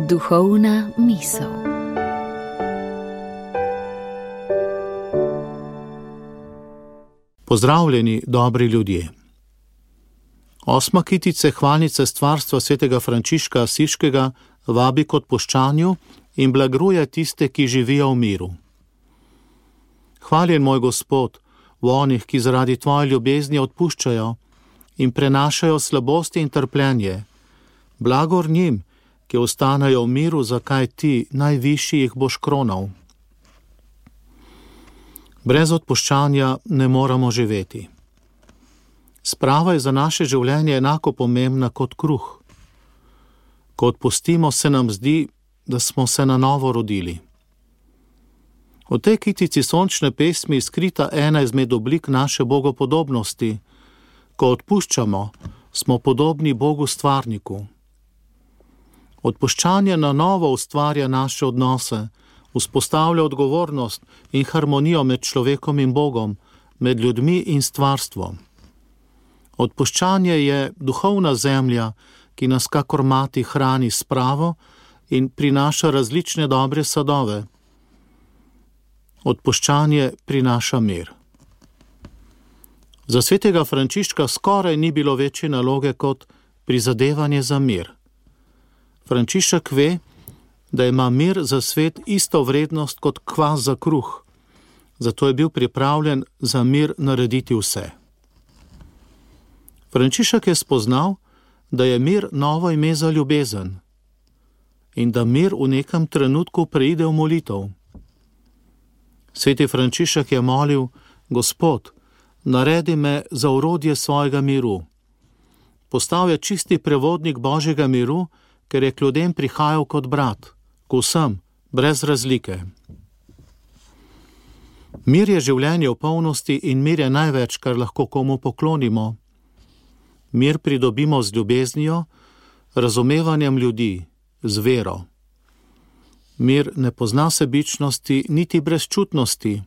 Duhovna misel. Pozdravljeni, dobri ljudje. 8. kitica hvalnice stvarstva svetega Frančiška Asiškega vabi k odpuščanju in blagruje tiste, ki živijo v miru. Hvaljen moj Gospod v onih, ki zaradi tvoje ljubezni odpuščajo in prenašajo slabosti in trpljenje. Blagor njim, ki ostanejo v miru, zakaj ti, najvišji, jih boš kronal. Brez odpuščanja ne moremo živeti. Sprava je za naše življenje enako pomembna kot kruh. Ko odpustimo, se nam zdi, da smo se na novo rodili. V tej kitici sončne pesmi je skrita ena izmed oblik naše bogopodobnosti. Ko odpuščamo, smo podobni Bogu stvarniku. Odpuščanje na novo ustvarja naše odnose, vzpostavlja odgovornost in harmonijo med človekom in Bogom, med ljudmi in stvarstvom. Odpuščanje je duhovna zemlja, ki nas kakor mati hrani s spravo in prinaša različne dobre sadove. Odpuščanje prinaša mir. Za svetega Frančiška skoraj ni bilo večje naloge kot prizadevanje za mir. Frančišek ve, da ima mir za svet isto vrednost kot kvas za kruh, zato je bil pripravljen za mir narediti vse. Frančišek je spoznal, da je mir novo ime za ljubezen in da mir v nekem trenutku preide v molitev. Sveti Frančišek je molil: Gospod, naredi me za orodje svojega miru. Postal je čisti prevodnik Božjega miru, ker je k ljudem prihajal kot brat, k vsem, brez razlike. Mir je življenje v polnosti in mir je največ, kar lahko komu poklonimo. Mir pridobimo z ljubeznijo, razumevanjem ljudi, z vero. Mir ne pozna sebičnosti niti brezčutnosti.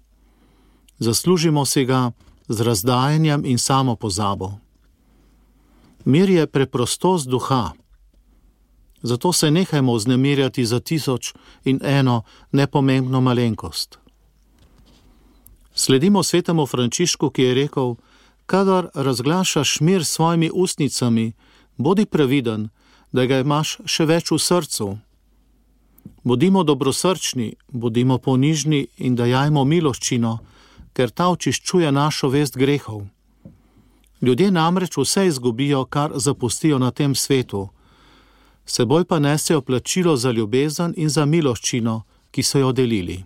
Zaslužimo si ga z razdajanjem in samopozabo. Mir je preprostost duha. Zato se nehajmo vznemirjati za 1001 nepomembno malenkost. Sledimo svetemu Frančišku, ki je rekel: kadar razglašaš mir s svojimi ustnicami, bodi previden, da ga imaš še več v srcu. Bodimo dobrosrčni, bodimo ponižni in dajajmo miloščino, ker ta očiščuje našo vest grehov. Ljudje namreč vse izgubijo, kar zapustijo na tem svetu. Seboj pa nesejo plačilo za ljubezen in za miloščino, ki so jo delili.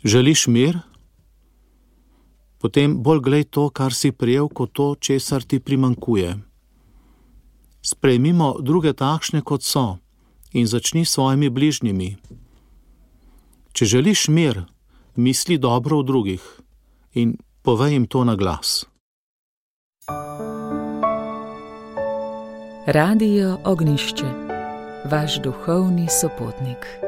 Želiš mir? Potem bolj glej to, kar si prijel, kot to, česar ti primanjkuje. Sprejmimo druge takšne, kot so, in začni s svojimi bližnjimi. Če želiš mir, misli dobro o drugih in povej jim to na glas. Radio Ognjišče, vaš duhovni sopotnik.